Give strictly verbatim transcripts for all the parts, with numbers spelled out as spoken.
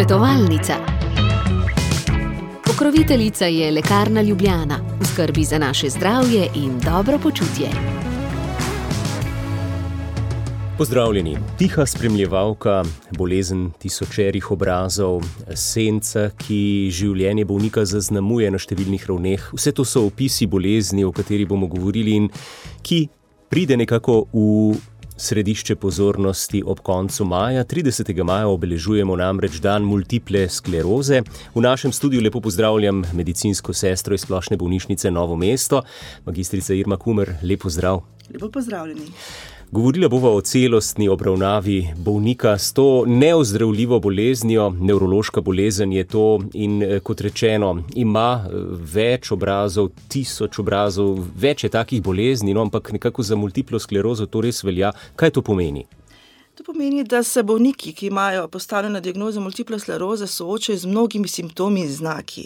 Svetovalnica. Pokroviteljica je Lekarna Ljubljana, v skrbi za naše zdravje in dobro počutje. Pozdravljeni. Tiha spremljevalka, bolezen tisočerih obrazov, senca, ki življenje bolnika zaznamuje na številnih ravneh. Vse to so opisi bolezni, o kateri bomo govorili in ki pride nekako v središče pozornosti ob koncu maja. tridesetega maja obeležujemo namreč dan multiple skleroze. V našem studiu lepo pozdravljam medicinsko sestro iz Splošne bolnišnice Novo mesto, magistrica Irma Kumer. Lepo zdrav. Lepo pozdravljeni. Govorila bova o celostni obravnavi bolnika s to neozdravljivo boleznijo. Nevrološka bolezen je to in kot rečeno, ima več obrazov, tisoč obrazov, več je takih bolezni, no, ampak nekako za multiplo sklerozo to res velja. Kaj to pomeni? To pomeni, da se bolniki, ki imajo postavljeno diagnozo multiple skleroze, soočajo z mnogimi simptomi in znaki,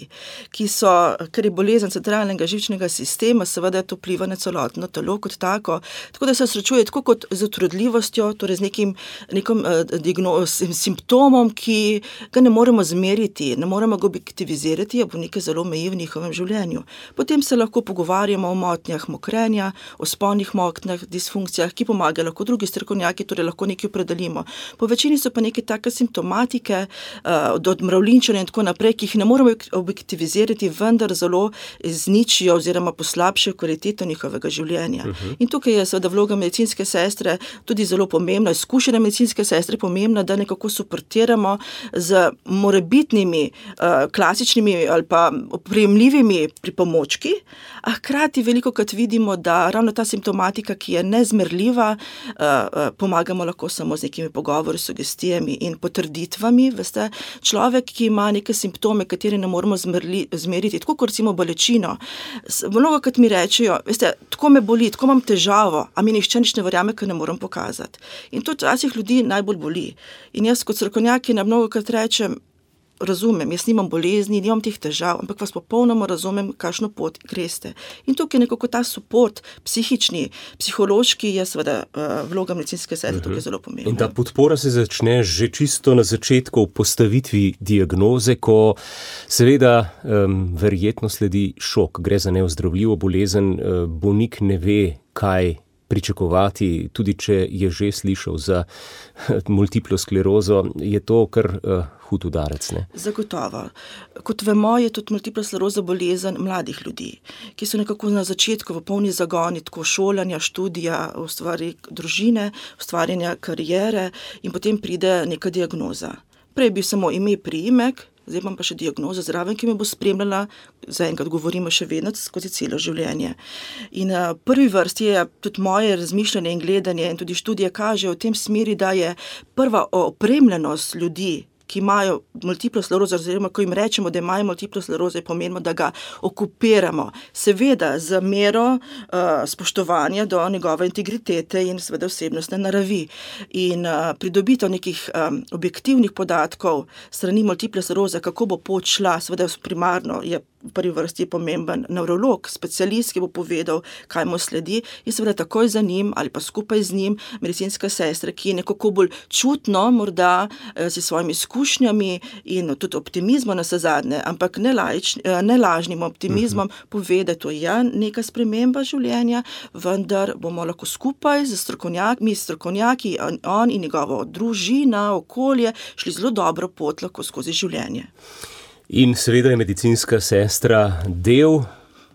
ki so, ker je bolezen centralnega živčnega sistema, seveda to vpliva na celotno telo kot tako, tako da se srečuje tako kot z utrudljivostjo, torej z nekim, nekim uh, diagnoz, simptomom, ki ga ne moremo zmeriti, ne moremo ga objektivizirati, a bolnike zelo meji v njihovem življenju. Potem se lahko pogovarjamo o motnjah mokrenja, o spolnih motnjah, disfunkcijah, ki pomagajo lahko drugi strokovnjaki, torej lahko nekaj predelimo. Po večini so pa neke take simptomatike, uh, od mravljinčenja in tako naprej, ki jih ne moramo objektivizirati, vendar zelo izničijo oziroma poslabšajo kvaliteto njihovega življenja. Uh-huh. In tukaj je seveda vloga medicinske sestre tudi zelo pomembna, izkušene medicinske sestre pomembna, da nekako suportiramo z morebitnimi uh, klasičnimi ali pa oprijemljivimi pripomočki, a hkrati velikokrat vidimo, da ravno ta simptomatika, ki je nezmerljiva, uh, uh, pomagamo lahko samo z nekimi pogovori, sugestijami in potrditvami. Veste, človek, ki ima neke simptome, katere ne moramo zmerli, zmeriti, tako kot recimo bolečino. Mnogokrat mi rečejo, veste, tako me boli, tako imam težavo, a mi nihče nič ne verjame, ker ne moram pokazati. In to včasih ljudi najbolj boli. In jaz kot strokovnjakinja mnogokrat rečem, razumem, jaz nimam bolezni, nimam teh težav, ampak vas popolnoma razumem, kakšno pot greste. In tukaj nekako ta suport, psihični, psihološki, je seveda uh, vloga medicinske sestre, tukaj zelo pomembna. In ta podpora se začne že čisto na začetku v postavitvi diagnoze, ko seveda um, verjetno sledi šok. Gre za neozdravljivo bolezen, uh, bolnik ne ve, kaj pričakovati, tudi če je že slišal za multiplo sklerozo, je to kar uh, hud udarec, ne? Zagotovo. Kot vemo, je tudi multipla skleroza bolezen mladih ljudi, ki so nekako na začetku v polni zagoni, tako šolanja, študija, ustvari družine, ustvarjanja kariere in potem pride neka diagnoza. Prej bi samo ime, priimek, zdaj imam pa še diagnozo zraven, ki me bo spremljala, zaenkrat govorimo še vedno skozi celo življenje. In uh, prvi vrsti je tudi moje razmišljanje in gledanje in tudi študije kažejo v tem smeri, da je prva opremljenost ljudi, ki imajo multiplo sklerozo, oziroma ko jim rečemo, da imajo multiplo sklerozo, je pomembno, da ga okupiramo. Seveda z mero uh, spoštovanja do njegove integritete in seveda osebnostne naravi. In uh, pridobitev nekih um, objektivnih podatkov strani multiple skleroze, kako bo pot šla, seveda primarno je v prvi vrsti je pomemben nevrolog, specialist, ki bo povedal, kaj mu sledi, in seveda takoj za njim ali pa skupaj z njim medicinska sestra, ki je nekako bolj čutno, morda eh, s svojimi izkušnjami in tudi optimizmom na zadnje, ampak ne, laič, eh, ne lažnim optimizmom, uh-huh. pove, da to je neka sprememba življenja, vendar bomo lahko skupaj z strokovnjaki, mi strokovnjaki, on, on in njegova družina, okolje, šli zelo dobro pot lahko skozi življenje. In seveda je medicinska sestra del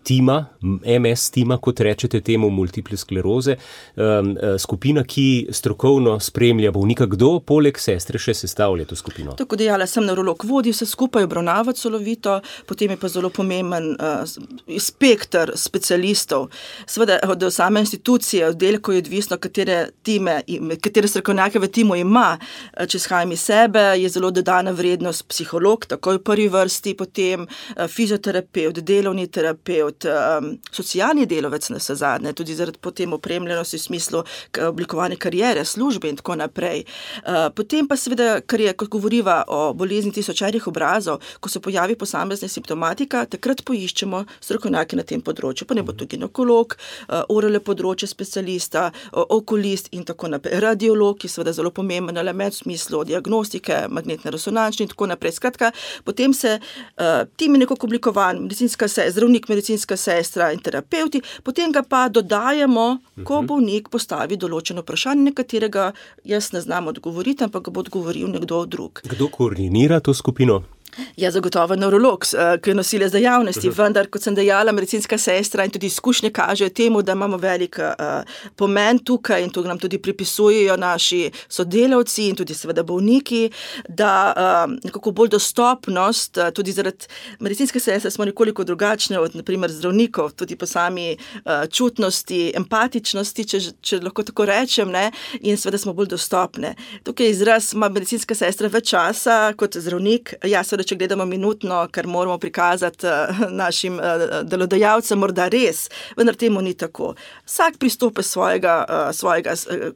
tima, em es tima, kot rečete temu, multiple skleroze, um, skupina, ki strokovno spremlja bolnika. Kdo poleg sestre še sestavlja to skupino? Tako dejala, sem nevrolog, vodi vse skupaj, obravnava celovito, potem je pa zelo pomemben uh, spekter specialistov. Seveda od same institucije, oddelko je odvisno, katere time, katere strokovnjake v timu ima. Če izhajam iz sebe, je zelo dodana vrednost psiholog, takoj v prvi vrsti, potem uh, fizioterapeut, delovni terapeut, kot um, socialni delovec na vse zadnje, tudi zaradi potem opremljenosti v smislu oblikovanja karijere, službe in tako naprej. Uh, potem pa seveda, kar je, kot govoriva o bolezni tisočerih obrazov, ko se pojavi posamezna simptomatika, takrat poiščemo strokovnjake na tem področju, pa ne bo to ginekolog, uh, orale področje specialista, uh, okulist in tako naprej, radiolog, ki je seveda zelo pomemben element v smislu diagnostike, magnetne resonančne in tako naprej. Skratka, potem se uh, tim je nekako oblikovan, medicinska se, zdravnik, medicinska sestra in terapeuti, potem ga pa dodajamo, ko bolnik postavi določeno vprašanje, na katerega jaz ne znam odgovoriti, ampak ga bo odgovoril nekdo drug. Kdo koordinira to skupino? Ja, zagotovo nevrolog, ki je nosilec dejavnosti, uh-huh. vendar, kot sem dejala, medicinska sestra in tudi izkušnje kažejo temu, da imamo velik uh, pomen tukaj in to nam tudi pripisujejo naši sodelavci in tudi seveda bolniki, da uh, nekako bolj dostopnost, uh, tudi zaradi medicinske sestre smo nekoliko drugačne od, naprimer, zdravnikov, tudi po sami uh, čutnosti, empatičnosti, če, če lahko tako rečem, ne, in seveda smo bolj dostopne. Tukaj izraz ima medicinska sestra več časa kot zdravnik, ja, seveda, če gledamo minutno, ker moramo prikazati uh, našim uh, delodajalcem, morda res, vendar temu ni tako. Vsak pristope svojega, uh, svojega uh,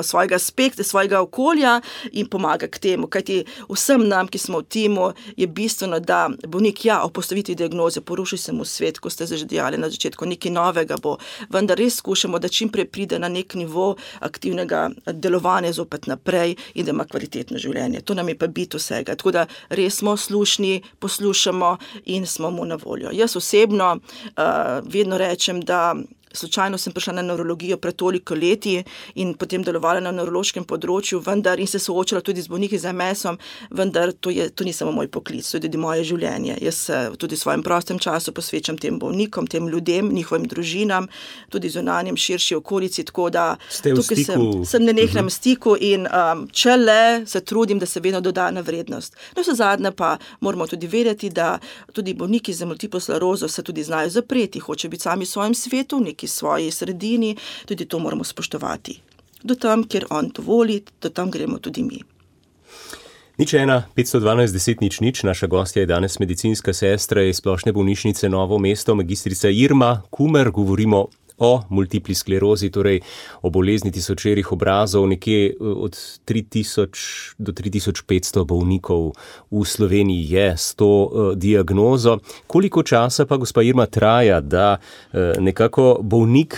svojega aspekta, svojega okolja in pomaga k temu, kajti vsem nam, ki smo v timu, je bistveno, da bolnik, ja, o postavitvi diagnoze, poruši se mu svet, ko ste že dejali na začetku, nekaj novega bo, vendar res skušamo, da čim prej pride na nek nivo aktivnega delovanja zopet naprej in da ima kvalitetno življenje. To nam je pa bit vsega. Tako da res smo slušni, poslušamo in smo mu na voljo. Jaz osebno uh, vedno rečem, da slučajno sem prišla na nevrologijo pred toliko leti in potem delovala na nevrološkem področju, vendar in se soočala tudi z bolniki z em esom, vendar to, je, to ni samo moj poklic, to je tudi moje življenje. Jaz se tudi v svojem prostem času posvečam tem bolnikom, tem ljudem, njihovim družinam, tudi zunanjem širši okolici, tako da tukaj sem, sem nenehnem uh-huh. stiku in um, če le se trudim, da se vedno dodana vrednost. No, vse zadnje pa moramo tudi vedeti, da tudi bolniki z multiplo sklerozo se tudi znajo zapreti, hoče biti sami v svojem svetu, neki svoji sredini, tudi to moramo spoštovati. Do tam, kjer on dovoli, do tam gremo tudi mi. Nič ena, petsto dvanajst, deset, nič, nič. Naša gostja je danes medicinska sestra iz Splošne bolnišnice Novo mesto, magistrica Irma Kumer. Govorimo o multipli sklerozi, torej o bolezni tisočerih obrazov, nekje od tri tisoč do tri tisoč petsto bolnikov v Sloveniji je s to uh, diagnozo. Koliko časa pa, gospa Irma, traja, da uh, nekako bolnik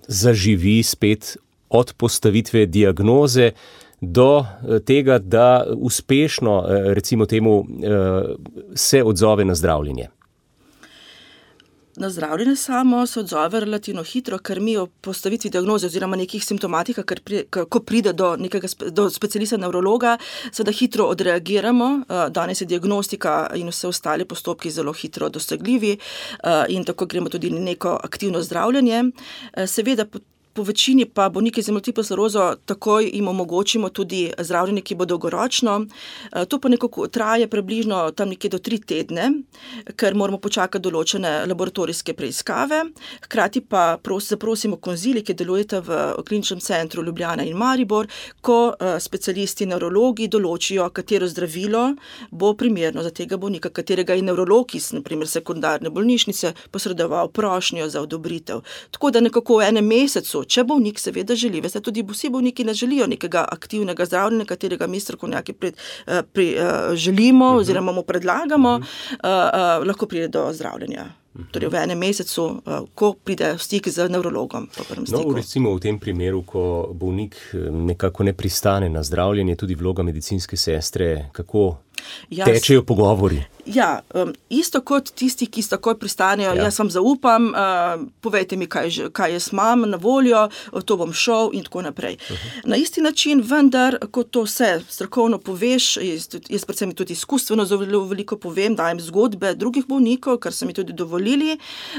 zaživi spet od postavitve diagnoze do tega, da uspešno, recimo temu, se odzove na zdravljenje? Na zdravljenje samo se odzove relativno hitro, ker mi o postavitvi diagnoze oziroma nekih simptomatika, ker pri, ko pride do nekega do specialista nevrologa, seveda hitro odreagiramo. Danes je diagnostika in vse ostale postopki zelo hitro dosegljivi in tako gremo tudi na neko aktivno zdravljenje. Seveda po večini pa bolniki z multiplo sklerozo takoj jim omogočimo tudi zdravljenje, ki bo dolgoročno. To pa nekako traje približno tam nekje do tri tedne, ker moramo počakati določene laboratorijske preiskave. Hkrati pa pros, zaprosimo konzili, ki delujete v kliničnem centru Ljubljana in Maribor, ko specialisti nevrologi določijo, katero zdravilo bo primerno za tega bolnika, katerega je nevrolog iz, na primer, sekundarne bolnišnice posredoval prošnjo za odobritev. Tako da nekako v enem mesecu, če bolnik seveda želi, veste, tudi vsi bolniki ne želijo nekega aktivnega zdravljenja, katerega mi strokovnjaki pri, pri, želimo uh-huh. oziroma mu predlagamo, uh-huh. uh, uh, lahko pride do zdravljenja. Uh-huh. Torej v enem mesecu, uh, ko pride v stik z nevrologom. No, recimo v tem primeru, ko bolnik nekako ne pristane na zdravljenje, tudi vloga medicinske sestre, kako Jaz, tečejo pogovori? Ja, um, isto kot tisti, ki takoj pristanejo, ja. Jaz vam zaupam, uh, povejte mi, kaj, kaj jaz imam na voljo, to bom šel in tako naprej. Uh-huh. Na isti način, vendar, ko to vse strokovno poveš, jaz, jaz predvsem tudi izkustveno zelo veliko povem, dajem zgodbe drugih bolnikov, kar so mi tudi dovolili,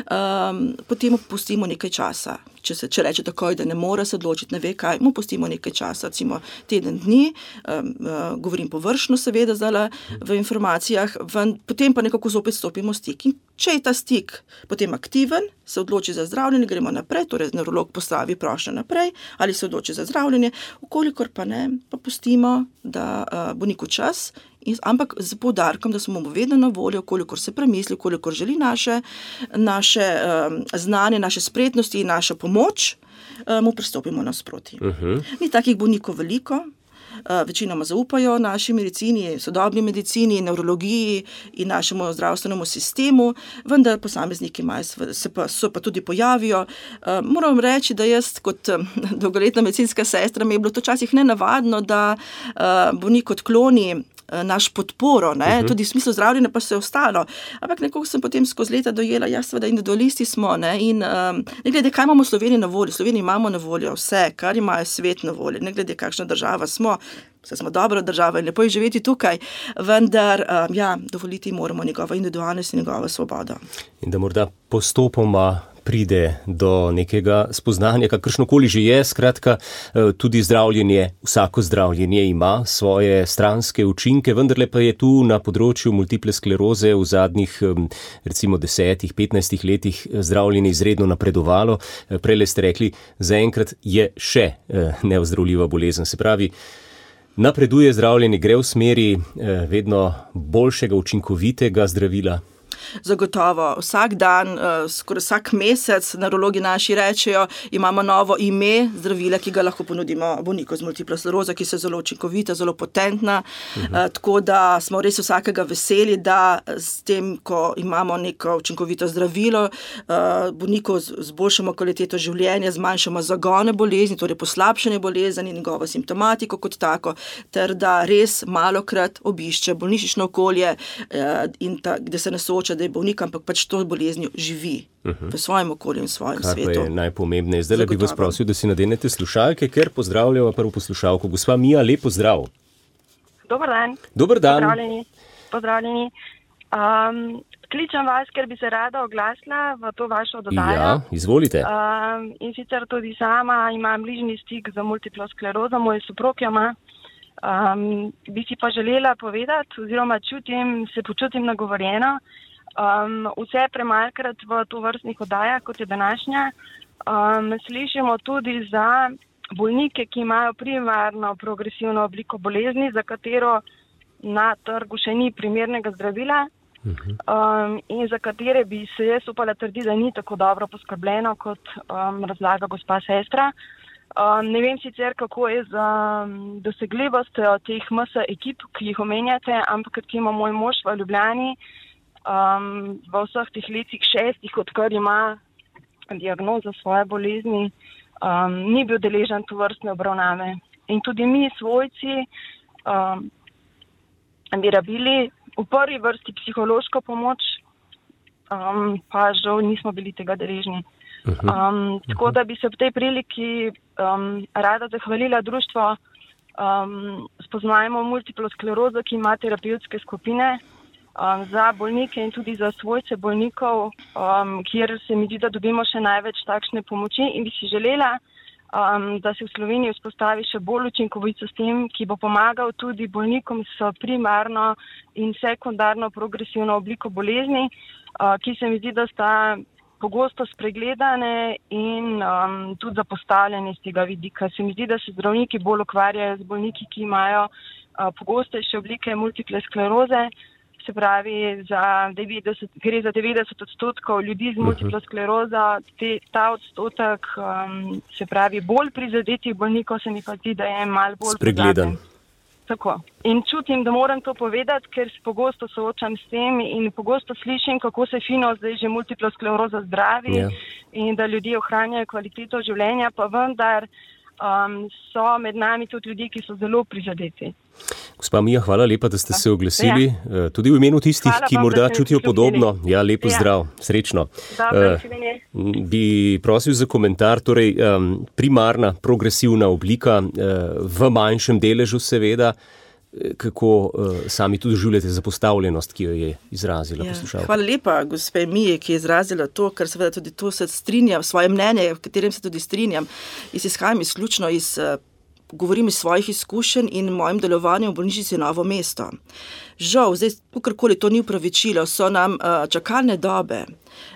um, potem pustimo nekaj časa. Če se če reče takoj, da ne more se odločiti, ne ve kaj, mu pustimo nekaj časa, recimo teden dni, um, uh, govorim površno seveda zdaj v informacijah, ven, potem pa nekako zopet stopimo v stik. In če je ta stik potem aktiven, se odloči za zdravljenje, gremo naprej, torej nevrolog postavi prošnjo naprej, ali se odloči za zdravljenje, ukolikor pa ne, pa pustimo, da uh, bolniku čas in, ampak z poudarkom, da smo mu vedno na voljo, kolikor se premisli, kolikor želi naše, naše um, znanje, naše spretnosti in našo pomoč, um, mu pristopimo nasproti. Uh-huh. Ni takih bolnikov veliko. Uh, večinoma zaupajo naši medicini, sodobni medicini, nevrologiji in našemu zdravstvenemu sistemu, vendar posamezniki imajo, se pa, so pa tudi pojavijo. Uh, moram reči, da jaz kot um, dolgoletna medicinska sestra mi je bilo to včasih nenavadno, da uh, bolnik odkloni naš podporo, ne? Uh-huh. Tudi v smislu zdravljenja pa se je ostalo. Ampak nekako sem potem skozi leta dojela, jaz seveda individualisti smo, ne? In um, ne glede, kaj imamo v Sloveniji na voljo, v Sloveniji imamo na voljo vse, kar imajo svet na voljo, ne glede, kakšna država smo, vse smo dobra država in lepo je živeti tukaj, vendar, um, ja, dovoliti moramo njegovo individualnost in njegovo svobodo. In da morda postopoma pride do nekega spoznanja, kakršnokoli že je, skratka, tudi zdravljenje, vsako zdravljenje ima svoje stranske učinke, vendarle pa je tu na področju multiple skleroze v zadnjih, recimo desetih, petnajstih letih zdravljenje izredno napredovalo. Prejle ste rekli, zaenkrat je še neozdravljiva bolezen. Se pravi, napreduje zdravljenje, gre v smeri vedno boljšega, učinkovitega zdravila. Zagotovo. Vsak dan, skoraj vsak mesec, nevrologi naši rečejo, imamo novo ime zdravila, ki ga lahko ponudimo bolniku z multiplo sklerozo, ki so zelo učinkovita, zelo potentna. Uh-huh. Tako da smo res vsakega veseli, da s tem, ko imamo neko učinkovito zdravilo, bolniku zboljšamo kvaliteto življenja, zmanjšamo zagone bolezni, torej poslabšanje bolezni in njegovo simptomatiko kot tako, ter da res malokrat obišče bolnišnično okolje in ta, kde se ne sooča, da je bolnik, ampak pač to boleznjo živi uh-huh. v svojem okolju in v svojem Kar svetu. Kar pa je najpomembneje. Zdaj bi vas prosil, da si nadenete slušalke, ker pozdravljava prvo poslušalko. Gospa Mija, lep pozdrav. Dobar dan. Dobar dan. Pozdravljeni. Pozdravljeni. Um, kličem vas, ker bi se rada oglasila v to vašo oddajo. Ja, izvolite. Um, in sicer tudi sama imam bližnji stik z multiplo sklerozo, moj soprog jo ima. Um, bi si pa želela povedati, oziroma čutim, se počutim nagovorjeno, Um, vse premalkrat v tovrstnih oddajah, kot je današnja, um, slišimo tudi za bolnike, ki imajo primarno progresivno obliko bolezni, za katero na trgu še ni primernega zdravila um, in za katere bi se jaz upala trditi, da ni tako dobro poskrbljeno, kot um, razlaga gospa sestra. Um, ne vem sicer, kako je z um, dosegljivostjo teh M S ekip, ki jih omenjate, ampak ker ima moj mož v Ljubljani, Um, v vseh teh letih šestih, odkar ima diagnozo svoje bolezni, um, ni bil deležen tovrstne obravnave. In tudi mi, svojci, um, bi rabili v prvi vrsti psihološko pomoč, um, pa žal nismo bili tega deležni. Um, tako da bi se v tej priliki um, rada zahvalila društvo um, Spoznajmo multiplo sklerozo, ki ima terapevtske skupine, Um, za bolnike in tudi za svojce bolnikov, um, kjer se mi zdi, da dobimo še največ takšne pomoči in bi si želela, um, da se v Sloveniji vzpostavi še bolj učinkovit sistem, ki bo pomagal tudi bolnikom s primarno in sekundarno progresivno obliko bolezni, uh, ki se mi zdi, da sta pogosto spregledane in um, tudi zapostavljene z tega vidika. Se mi zdi, da se zdravniki bolj ukvarjajo z bolniki, ki imajo uh, pogostejše oblike multiple skleroze. Se pravi, za devetdeset, gre za devetdeset odstotkov ljudi z multiplo sklerozo, te, ta odstotek, um, se pravi, bolj prizadetih bolnikov se mi pa zdi, da je malo bolj spregledan. Tako. In čutim, da moram to povedati, ker se pogosto soočam s tem in pogosto slišim, kako se fino zdaj že multiplo skleroza zdravi yeah. in da ljudje ohranjajo kvaliteto življenja, pa vendar um, so med nami tudi ljudje, ki so zelo prizadeti. Gospa Mija, hvala lepa, da ste se oglasili. Ja. Tudi v imenu tistih, hvala ki vam, morda čutijo podobno. Ja, lepo ja. Zdrav, srečno. Dobre, uh, bi prosil za komentar, torej um, primarna progresivna oblika uh, v manjšem deležu seveda, kako uh, sami tudi doživljate zapostavljenost, ki jo je izrazila ja. poslušalka. Hvala lepa, gospe Mije, ki je izrazila to, ker seveda tudi to se strinjam, svoje mnenje, v katerem se tudi strinjam. Jaz izhajam izključno iz uh, govorim iz svojih izkušenj in mojim delovanjem v bolnišnici Novo mesto. Žal, zdaj, kakorkoli to ni upravičilo, so nam uh, čakalne dobe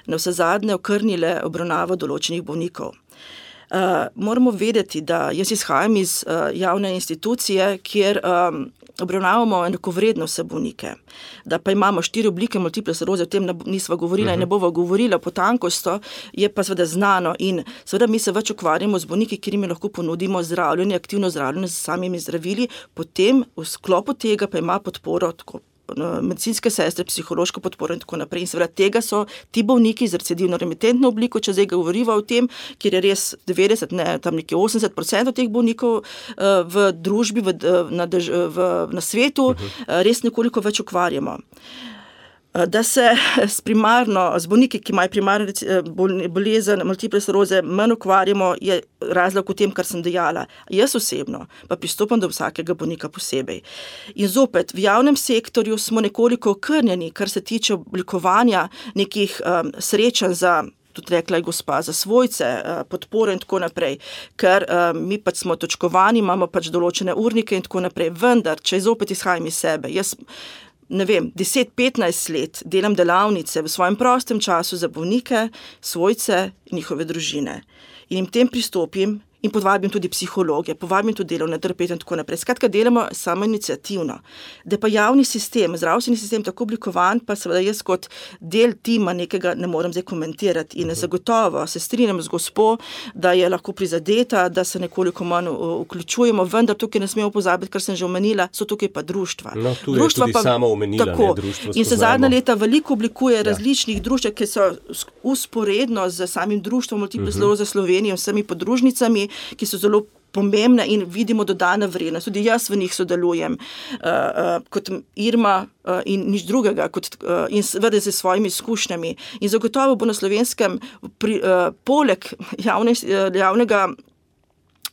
na vse zadnje okrnile obravnavo določenih bolnikov. Uh, moramo vedeti, da jaz izhajam iz uh, javne institucije, kjer um, obravnavamo enakovredno vse bolnike, da pa imamo štiri oblike multiple skleroze, o tem nisva govorila uh-huh. in ne bova govorila potankosto, je pa seveda znano in seveda mi se več ukvarjamo z bolniki, kjer jim lahko ponudimo zdravljenje, aktivno zdravljenje z samimi zdravili, potem v sklopu tega pa ima podporo tako medicinske sestre, psihološko podporo in tako naprej. In seveda tega so ti bolniki z recidivno remitentno obliko, če zdaj govoriva o tem, kjer je res devetdeset, ne, tam nekje osemdeset procentov teh bolnikov uh, v družbi, v, na, dež, v, na svetu, uh, res nekoliko več ukvarjamo. Da se s primarno, z bolniki, ki imajo primarno bolezen multiple skleroze, manj ukvarjamo, je razlog v tem, kar sem dejala. Jaz osebno pa pristopam do vsakega bolnika posebej. In zopet, v javnem sektorju smo nekoliko okrnjeni, kar se tiče oblikovanja nekih um, srečanj za, tudi rekla je gospa, za svojce, podporo in tako naprej, ker um, mi pač smo točkovani, imamo pač določene urnike in tako naprej, vendar, če zopet izhajam iz sebe, jaz ne vem, deset petnajst let delam delavnice v svojem prostem času za bolnike, svojce in njihove družine. In jim tem pristopim in povabim tudi psihologe, povabim tudi delovne terapevte in tako naprej. Skratka, delamo samo iniciativno. Da pa javni sistem, zdravstveni sistem tako oblikovan, pa seveda jaz kot del tima nekega ne morem zdaj komentirati in zagotovo se strinjam z gospo, da je lahko prizadeta, da se nekoliko manj vključujemo, vendar tukaj ne smemo pozabiti, kar sem že omenila, so tukaj pa društva. No, tu je tudi pa, sama omenila, tako, ne, društvo in se zadnja leta veliko oblikuje ja. različnih društev, ki so usporedno z samim društvom multiple skleroze Slovenije, vsemi podružnicami, ki so zelo pomembne in vidimo dodane vrednost. Tudi jaz v njih sodelujem uh, uh, kot Irma uh, in nič drugega kot, uh, in seveda z svojimi izkušnjami. In zagotovo bo na Slovenskem pri, uh, poleg javne, uh, javnega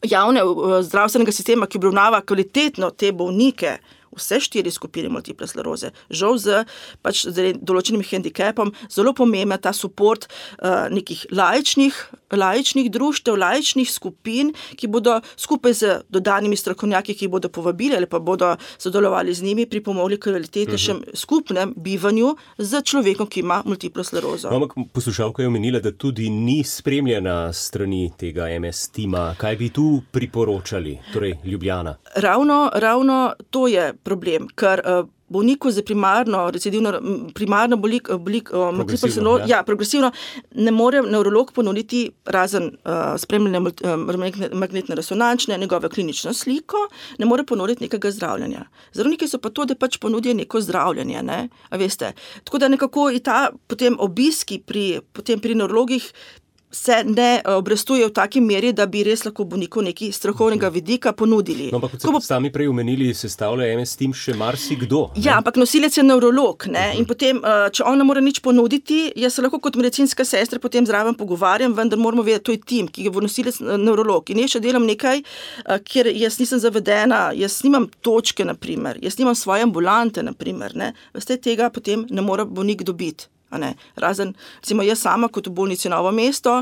javne uh, zdravstvenega sistema, ki obravnava kvalitetno te bolnike, vse štiri skupine multiple skleroze, žal z pač z določenim hendikepom, zelo pomembna ta suport uh, nekih laičnih, laičnih društev, laičnih skupin, ki bodo skupaj z dodanimi strokovnjaki, ki bodo povabili ali pa bodo sodelovali z njimi, pripomogli k kvalitetnejšem uh-huh. skupnem bivanju z človekom, ki ima multiplo sklerozo. Ampak poslušalka je omenila, da tudi ni spremljena strani tega M S tima. Kaj bi tu priporočali, torej Ljubljana? Ravno, ravno to je problem, ker uh, bolniku za primarno, recidivno, primarno bolik, bolik, uh, multiple sklerozo, ja. ja, progresivno, ne more nevrolog ponuditi razen uh, spremljanja uh, magnetne resonančne, njegove klinično sliko, ne more ponuditi nekega zdravljenja. Zdravniki so pa to, da pač ponudijo neko zdravljenje, ne, a veste. Tako da nekako i ta potem obiski pri, potem pri nevrologih se ne obrestuje v taki meri, da bi res lahko bolniku neki strokovnega vidika ponudili. No, ampak kot ste bo... sami prej omenili, sestavlja M S tim še marsikdo. Ne? Ja, ampak nosilec je nevrolog, ne, uh-huh. in potem, če on ne more nič ponuditi, jaz se lahko kot medicinska sestra potem zraven pogovarjam, vendar moramo vedeti, to je tim, ki je nosilec nevrolog. In jaz še delam nekaj, kjer jaz nisem zavedena, jaz nimam točke, na primer, jaz nimam svoje ambulante, na primer, ne, veste tega potem ne mora bolnik dobiti. Ne. Razen, recimo jaz sama kot v bolnici Novo mesto,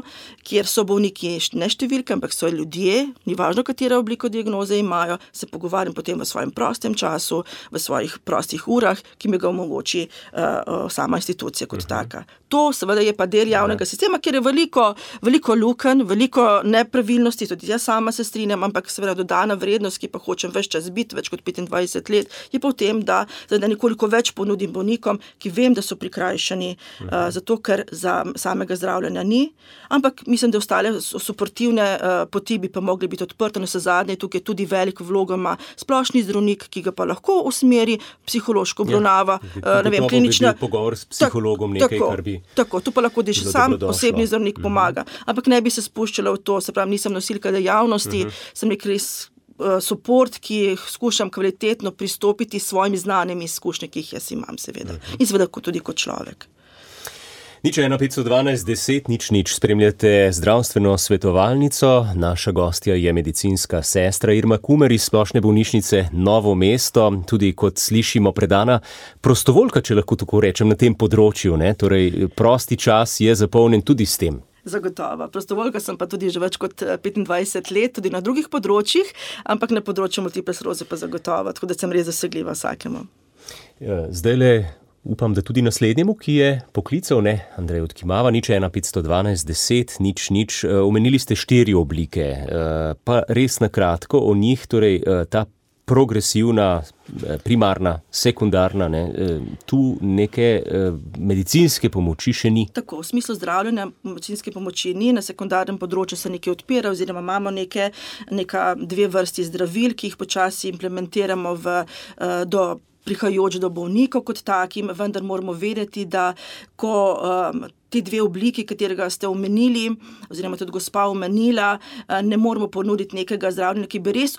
kjer so bolniki ne številke, ampak so ljudje, ni važno, katera obliko diagnoze imajo, se pogovarjam potem v svojem prostem času, v svojih prostih urah, ki mi ga omogoči uh, sama institucija kot uh-huh. taka. To seveda je pa del javnega uh-huh. sistema, kjer je veliko, veliko lukenj, veliko nepravilnosti, tudi jaz sama se strinjam, ampak seveda dodana vrednost, ki pa hočem več čas biti, več kot petindvajset let, je pa v tem, da, da nekoliko več ponudim bolnikom, ki vem, da so prikrajšani, Uh, zato, ker za samega zdravljenja ni, ampak mislim, da ostale suportivne uh, poti bi pa mogli biti odprte, na vse zadnje, tukaj tudi veliko vlogo ima splošni zdravnik, ki ga pa lahko usmeri, psihološko obravnava, ja, uh, ne vem, klinična... Bi pogovor s psihologom nekaj, tako, kar bi... Tako, tu pa lahko diš sam osebni zdravnik pomaga, uh-huh. ampak ne bi se spuščala v to, se pravi, nisem nosilka dejavnosti, uh-huh. sem nek res support, ki skušam kvalitetno pristopiti s svojimi znanimi izkušnje, ki jih jaz imam, seveda. Uh-huh. In seveda tudi kot človek. Nič ena petsto dvanajst deset nič nič spremljate zdravstveno svetovalnico. Naša gostja je medicinska sestra Irma Kumer iz Splošne bolnišnice Novo mesto, tudi kot slišimo predana prostovoljka, če lahko tako rečem, na tem področju, ne? Torej prosti čas je zapolnjen tudi s tem. Zagotovo. Prostovoljka sem pa tudi že več kot petindvajset let, tudi na drugih področjih, ampak na področju multiple skleroze pa zagotovo, tako da sem res zasegljiva vsakemu. Ja, zdajle upam, da tudi naslednjemu, ki je poklical, ne, Andrej odkimava, nič ena petsto dvanajst deset nič nič. Omenili ste štiri oblike, pa res na kratko o njih, torej ta progresivna, primarna, sekundarna, ne, tu neke medicinske pomoči še ni. Tako, v smislu zdravljenja medicinske pomoči ni, na sekundarnem področju se nekaj odpira, oziroma imamo neke, neka dve vrsti zdravil, ki jih počasi implementiramo v, do prihajajoč do bolnikov kot takim, vendar moramo vedeti, da ko um, te dve obliki, katerega ste omenili, oziroma tudi gospa omenila, ne moramo ponuditi nekega zdravljenja, ki bi res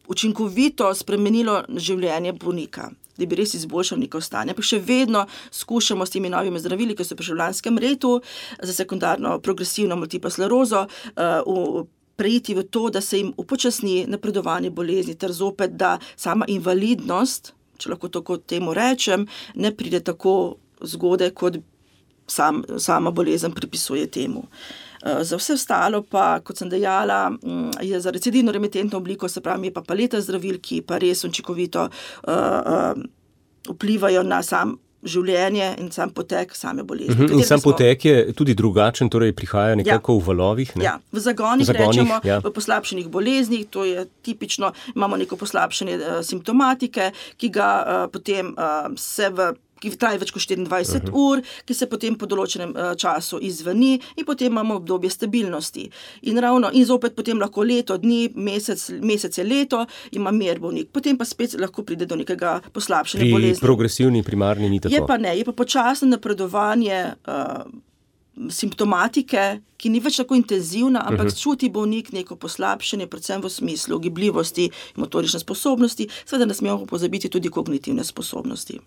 učinkovito spremenilo življenje bolnika, da bi res izboljšal neko stanje. Pa še vedno skušamo s temi novimi zdravili, ki so pri v lanskem letu za sekundarno progresivno multiplo sklerozo, uh, preiti v to, da se jim upočasni napredovanje bolezni, ter zopet, da sama invalidnost, če lahko tako temu rečem, ne pride tako zgodaj, kot sam, sama bolezen pripisuje temu. Za vse ostalo pa, kot sem dejala, je za recidivno remitentno obliko, se pravi, je pa paleta zdravil, ki pa res učinkovito uh, uh, vplivajo na sam življenje in sam potek same bolezni. Uh-huh. In sam smo... potek je tudi drugačen, torej prihaja nekako ja. v valovih. Ne? Ja, v zagonih, v zagonih rečemo, ja. v poslabšenih boleznih, to je tipično, imamo neko poslabšanje uh, simptomatike, ki ga uh, potem uh, se v ki traje več kot štiriindvajset uh-huh. ur, ki se potem po določenem uh, času izveni in potem imamo obdobje stabilnosti. In ravno, in zopet potem lahko leto, dni, mesec, mesec je leto, ima mir bolnik. Potem pa spet lahko pride do nekega poslabšanja bolezni. Pri progresivni primarni ni tako. Je pa ne, je pa počasno napredovanje uh, simptomatike, ki ni več tako intenzivna, ampak uh-huh. čuti bolnik neko poslabšanje, predvsem v smislu gibljivosti, motorične sposobnosti, seveda ne smemo pozabiti tudi kognitivne sposobnosti.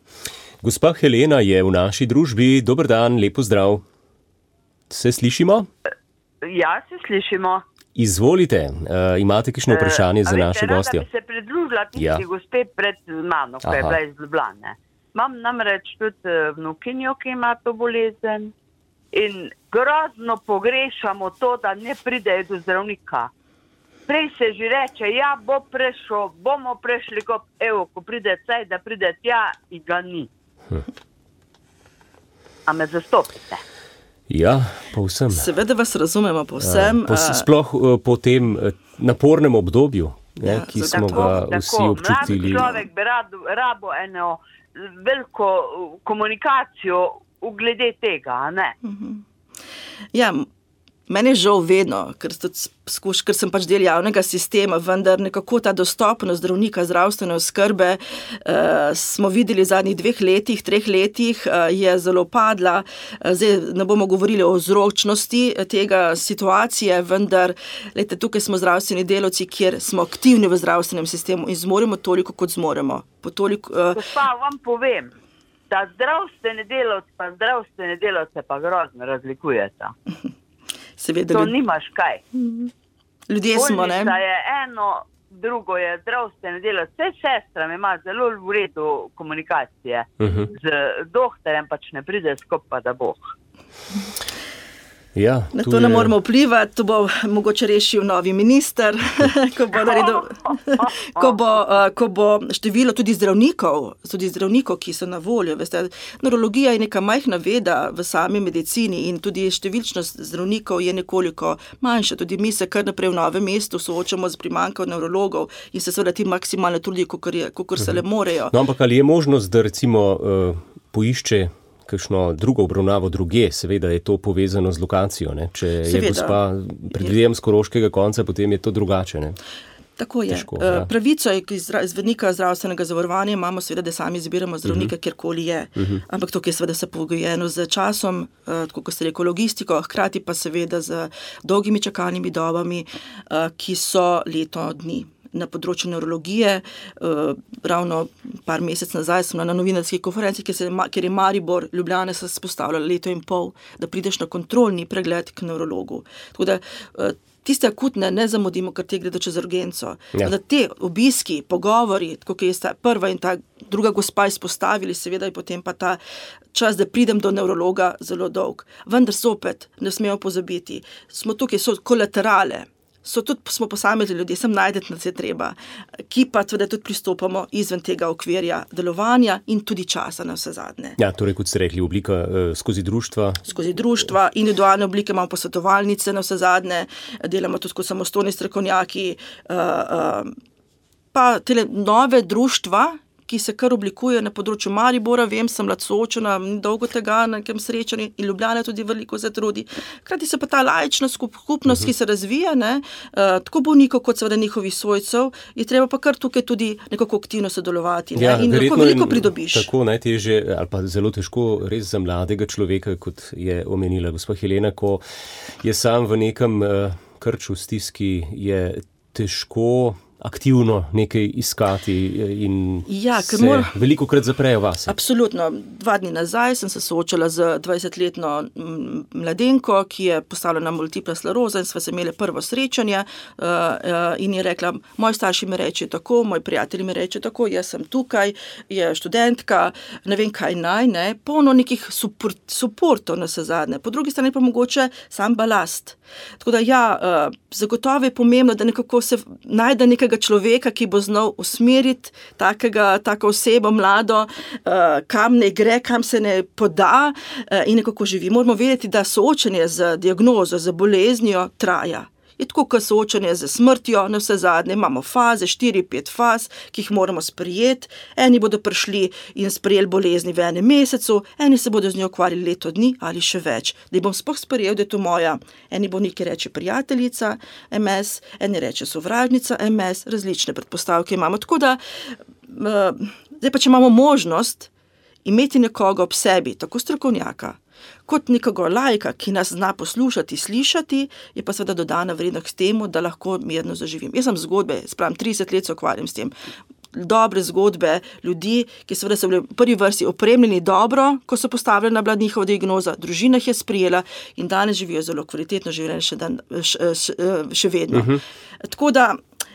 Gospa Helena je v naši družbi. Dober dan, lepo zdrav. Se slišimo? Ja, se slišimo. Izvolite, uh, imate kakšno vprašanje uh, za našo gostjo? Rada bi se pridružila tisti ja. gospe pred mano, ko je bila iz Ljubljane. Imam namreč tudi vnukinjo, ki ima to bolezen in grozno pogrešamo to, da ne pridejo do zdravnika. Prej se že reče, ja, bo prešel, bomo prešli, ko, evo, ko pride caj, da pride tja in ga ni. Hm. A me zastopite? Ja, povsem. Seveda vas razumemo povsem. Po, sploh po tem napornem obdobju, ja, ne, ki smo tako, ga vsi tako, občutili. Mlad človek bi rado, rabo eno veliko komunikacijo v glede tega, ne? Ja, meni je žal vedno, ker, skuš, ker sem pač del javnega sistema, vendar nekako ta dostopnost zdravnika zdravstvene oskrbe eh, smo videli v zadnjih dveh letih, treh letih, eh, je zelo padla. Zdaj ne bomo govorili o vzročnosti tega situacije, vendar lejte, tukaj smo zdravstveni delavci, kjer smo aktivni v zdravstvenem sistemu in zmoremo toliko, kot zmoremo. Toliko, eh, Gospa, vam povem, da zdravstvene delavce pa zdravstvene delavce pa grozno razlikujete. Seveda, to nimaš kaj. Ljudje smo, ne? Bolnica je eno, drugo je zdravstvene delavce. Vse sestra ima zelo v redu komunikacije. Uh-huh. Z doktorjem pač ne pride skupaj, da bo. Ja, na to je... ne moramo vplivati, to bo mogoče rešil novi minister, ko bo naredil, ko bo, ko bo število tudi zdravnikov, tudi zdravnikov, ki so na voljo. Veste, neurologija je neka majhna veda v sami medicini in tudi številčnost zdravnikov je nekoliko manjša. Tudi mi se kar naprej v Novem mestu soočamo z primanjkom neurologov in se seveda ti maksimalno trudijo, kakor se le morejo. No, ampak ali je možnost, da recimo uh, poišče kakšno drugo obravnavo druge, seveda je to povezano z lokacijo, ne? Če seveda, je gospa, predvidevam z Koroškega konca, potem je to drugače, ne? Tako je. Težko, ja. Pravico je izvednika zdravstvenega zavarovanja, imamo seveda, da sami izbiramo zdravnika, uh-huh. kjerkoli je, uh-huh. ampak to je seveda se pogojeno z časom, tako kot ste rekel, logistiko, hkrati pa seveda z dolgimi čakalnimi dobami, ki so leto dni. Na področju neurologije, uh, ravno par mesec nazaj sem na novinarski konferenci, kjer, se, kjer je Maribor, Ljubljana se spostavljala leto in pol, da prideš na kontrolni pregled k neurologu. Tako da uh, tiste akutne ne zamudimo, ker te gredo čez urgenco. Ja. Da te obiski, pogovori, tako je sta prva in ta druga gospa izpostavili, seveda je potem pa ta čas, da pridem do neurologa, zelo dolg. Vendar zopet, ne smemo pozabiti, smo tukaj, so kolaterale. So tudi, smo posamezni ljudje, sem najdeti nas je treba, ki pa tudi, tudi pristopamo izven tega okvirja delovanja in tudi časa na vse zadnje. Ja, torej, kot ste rekli, oblika uh, skozi društva. Skozi društva, individualne oblike, imamo posvetovalnice na vse zadnje, delamo tudi kot samostojni strokovnjaki, uh, uh, pa tele nove društva, ki se kar oblikuje na področju Maribora, vem, sem bila soočena dolgo tega na nekem srečanju in Ljubljana tudi veliko zatrudi. Hkrati se pa ta laična skupnost, ki se razvija, ne, uh, tako bolnikov kot seveda njihovih svojcev, je treba pa kar tukaj tudi nekako aktivno sodelovati, ne, ja, in lahko veliko pridobiš. Tako najtežje, ali pa zelo težko res za mladega človeka, kot je omenila gospa Helena, ko je sam v nekem uh, krču stiski, je težko aktivno nekaj iskati in ja, se mora... veliko krat zaprejo vase. Absolutno. Dva dni nazaj sem se soočala z dvajsetletno mladenko, ki je postavljena multipla skleroza in sva se imeli prvo srečanje uh, uh, in je rekla, moji starši mi reče tako, moji prijatelji mi reče tako, jaz sem tukaj, je študentka, ne vem kaj naj, ne, polno nekih support, supportov na vse zadnje. Po drugi strani pa mogoče sam balast. Tako da ja, uh, zagotovo je pomembno, da nekako se najde nekaj človeka, ki bo znal usmeriti takega, tako osebo mlado, uh, kam ne gre, kam se ne poda uh, in nekako živi. Moramo vedeti, da soočenje z diagnozo, z boleznijo traja. Je tako, kot soočenje z smrtjo, na vse zadnje imamo faze, štiri, pet faz, ki jih moramo sprejeti. Eni bodo prišli in sprejeli bolezni v enem mesecu, eni se bodo z njo ukvarjali leto dni ali še več. Da bom sploh sprejel, da je to moja, eni bolniki reče prijateljica em es, eni reče sovražnica em es, različne predpostavke imamo. Tako da, uh, zdaj pa, če imamo možnost imeti nekoga ob sebi, tako strokovnjaka, kot nekoga laika, ki nas zna poslušati, slišati, je pa seveda dodana vrednost k temu, da lahko mirno zaživim. Jaz sem zgodbe, spravim trideset let se ukvarjam s tem. Dobre zgodbe ljudi, ki seveda so bili v prvi vrsti opremljeni dobro, ko so postavljena bila njihova diagnoza, družina jih je sprijela in danes živijo zelo kvalitetno življenje še, dan, še, še, še vedno. Uh-huh. Tako da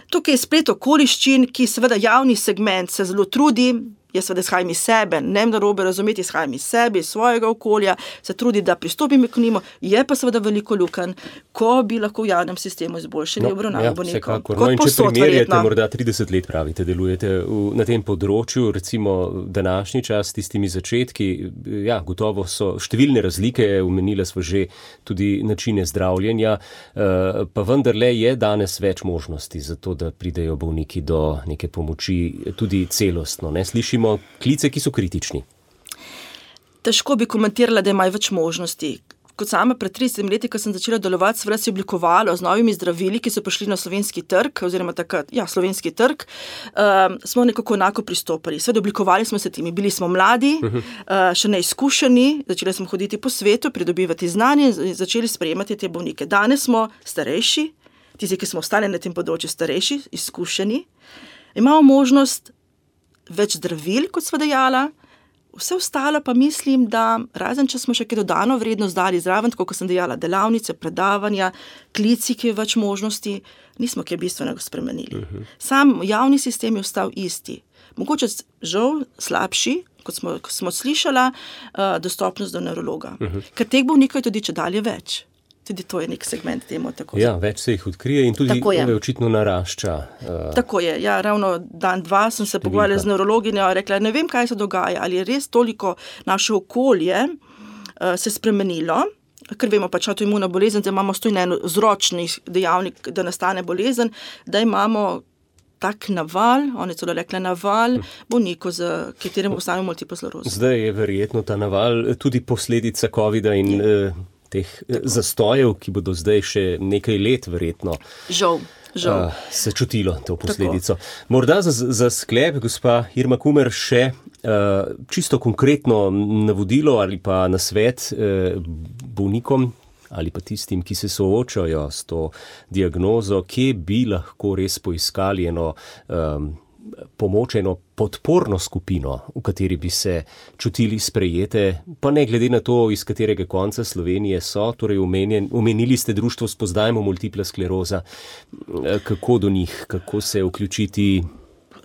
tukaj je splet okoliščin, ki seveda javni segment se zelo trudi, jaz seveda izhajam iz sebe, ne vem narobe razumeti, izhajam iz sebe, iz svojega okolja, se trudi, da pristopim k njemu, je pa seveda veliko lukenj, ko bi lahko v javnem sistemu izboljšali no, obravnavo ja, bolnikov. No, in če primerjate, morda trideset let pravite, delujete v, na tem področju, recimo današnji čas, tistimi začetki, ja, gotovo so številne razlike, omenila smo že tudi načine zdravljenja, pa vendarle je danes več možnosti za to, da pridejo bolniki do neke pomoči tudi celostno, ne, slišimo klice, ki so kritični. Težko bi komentirala, da imajo več možnosti. Kot sama pred tridesetimi leti, ko sem začela delovati, seveda se je oblikovalo z novimi zdravili, ki so prišli na slovenski trg, oziroma takrat, ja, slovenski trg, uh, smo nekako enako pristopili. Seveda oblikovali smo se timi, bili smo mladi, uh, še neizkušeni, začeli smo hoditi po svetu, pridobivati znanje in začeli sprejemati te bolnike. Danes smo starejši, tisti, ki smo ostali na tem področju starejši, izkušeni, imamo možnost več zdravil, kot sva dejala, vse ostalo pa mislim, da razen, če smo še kaj dodano vrednost dali zraven, tako kot sem dejala, delavnice, predavanja, klici, ki je več možnosti, nismo kaj bistvenega spremenili. Uh-huh. Sam javni sistem je ostal isti. Mogoče žal slabši, kot smo, kot smo slišala, uh, dostopnost do neurologa. Uh-huh. Ker teh bolnikov je tudi če dalje več. Tudi to je nek segment temu. Tako ja, več se jih odkrije in tudi očitno narašča. Uh, tako je, ja, ravno dan, dva sem se pogovarjala z neurologinjo in rekla, ne vem, kaj se dogaja, ali je res toliko naše okolje uh, se spremenilo, ker vemo pač avtoimuna bolezen, da imamo stoj en vzročni dejavnik, da nastane bolezen, da imamo tak naval, on je celo rekla naval, bolnikov, z katerim postavimo multiplo sklerozo. Zdaj je verjetno ta naval tudi posledica covida in uh, teh tako. Zastojev, ki bodo zdaj še nekaj let verjetno žal, žal. Uh, se čutilo to posledico. Tako. Morda za, za sklep, gospa Irma Kumer, še uh, čisto konkretno navodilo ali pa nasvet uh, bolnikom ali pa tistim, ki se soočajo s to diagnozo, kje bi lahko res poiskali eno um, pomoč, eno podporno skupino, v kateri bi se čutili sprejete, pa ne glede na to, iz katerega konca Slovenije so, torej omenjen, omenili ste društvo Spoznajmo multipla skleroza, kako do njih, kako se vključiti?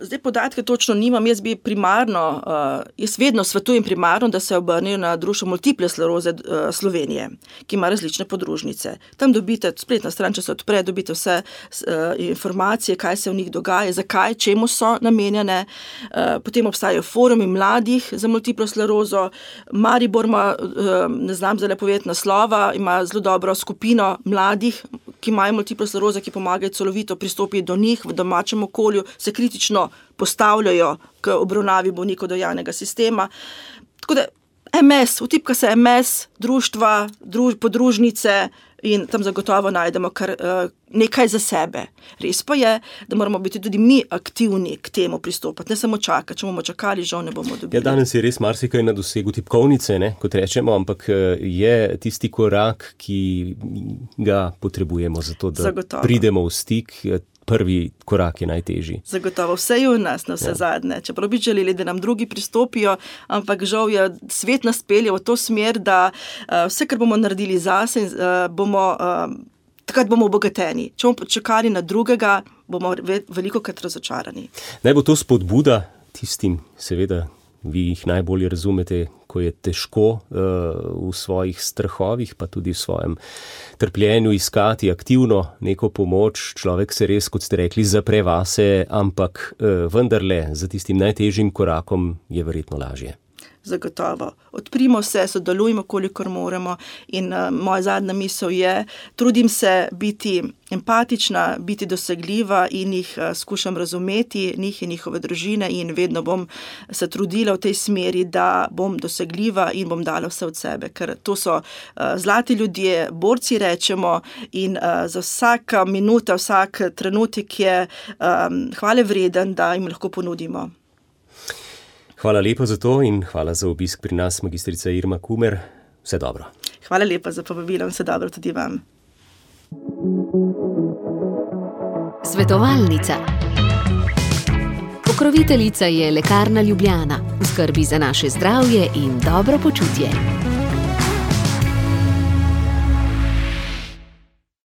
Zdaj podatke točno nimam, jaz bi primarno, uh, jaz vedno svetujem primarno, da se obrnejo na društvo multiple skleroze uh, Slovenije, ki ima različne podružnice. Tam dobite, spletna stran, če se odpre, dobite vse uh, informacije, kaj se v njih dogaja, zakaj, čemu so namenjene. Uh, potem obstajajo forumi mladih za multiplo sklerozo. Maribor ima, uh, ne znam zdaj povedati naslova, ima zelo dobro skupino mladih, ki imajo multiplo sklerozo, ki pomagajo celovito pristopiti do njih v domačem okolju, se kritično postavljajo k obravnavi bolnikov dojavnega sistema. Tako da M S, vtipka se M S, društva, druž, podružnice in tam zagotovo najdemo kar uh, nekaj za sebe. Res pa je, da moramo biti tudi mi aktivni k temu pristopati, ne samo čakati. Če bomo čakali, žal ne bomo dobili. Ja, danes je res marsikaj na dosegu tipkovnice, ne, kot rečemo, ampak je tisti korak, ki ga potrebujemo za to, da zagotovo pridemo v stik. Prvi korak je najtežji. Zagotovo, vse je v nas na vse ja. zadnje. Čeprav bi želeli, da nam drugi pristopijo, ampak žal je svet nas pelje v to smer, da uh, vse, kar bomo naredili zase, uh, bomo, uh, takrat bomo obogateni. Če bomo počakali na drugega, bomo veliko krat razočarani. Naj bo to spodbuda tistim, seveda, vi jih najbolje razumete, ko je težko uh, v svojih strahovih, pa tudi v svojem trpljenju iskati aktivno neko pomoč. Človek se res, kot ste rekli, zapre vase, ampak uh, vendarle za tistim najtežjim korakom je verjetno lažje. Zagotovo. Odprimo se, sodelujmo, kolikor moramo in uh, moja zadnja misel je, trudim se biti empatična, biti dosegljiva in jih uh, skušam razumeti, njih in njihove družine in vedno bom se trudila v tej smeri, da bom dosegljiva in bom dala vse od sebe, ker to so uh, zlati ljudje, borci rečemo in uh, za vsaka minuta, vsak trenutek je um, hvale vreden, da jim lahko ponudimo. Hvala lepa za to in hvala za obisk pri nas, magistrica Irma Kumer. Vse dobro. Hvala lepa za povabilo in vse dobro tudi vam. Svetovalnica. Pokroviteljica je Lekarna Ljubljana. V skrbi za naše zdravje in dobro počutje.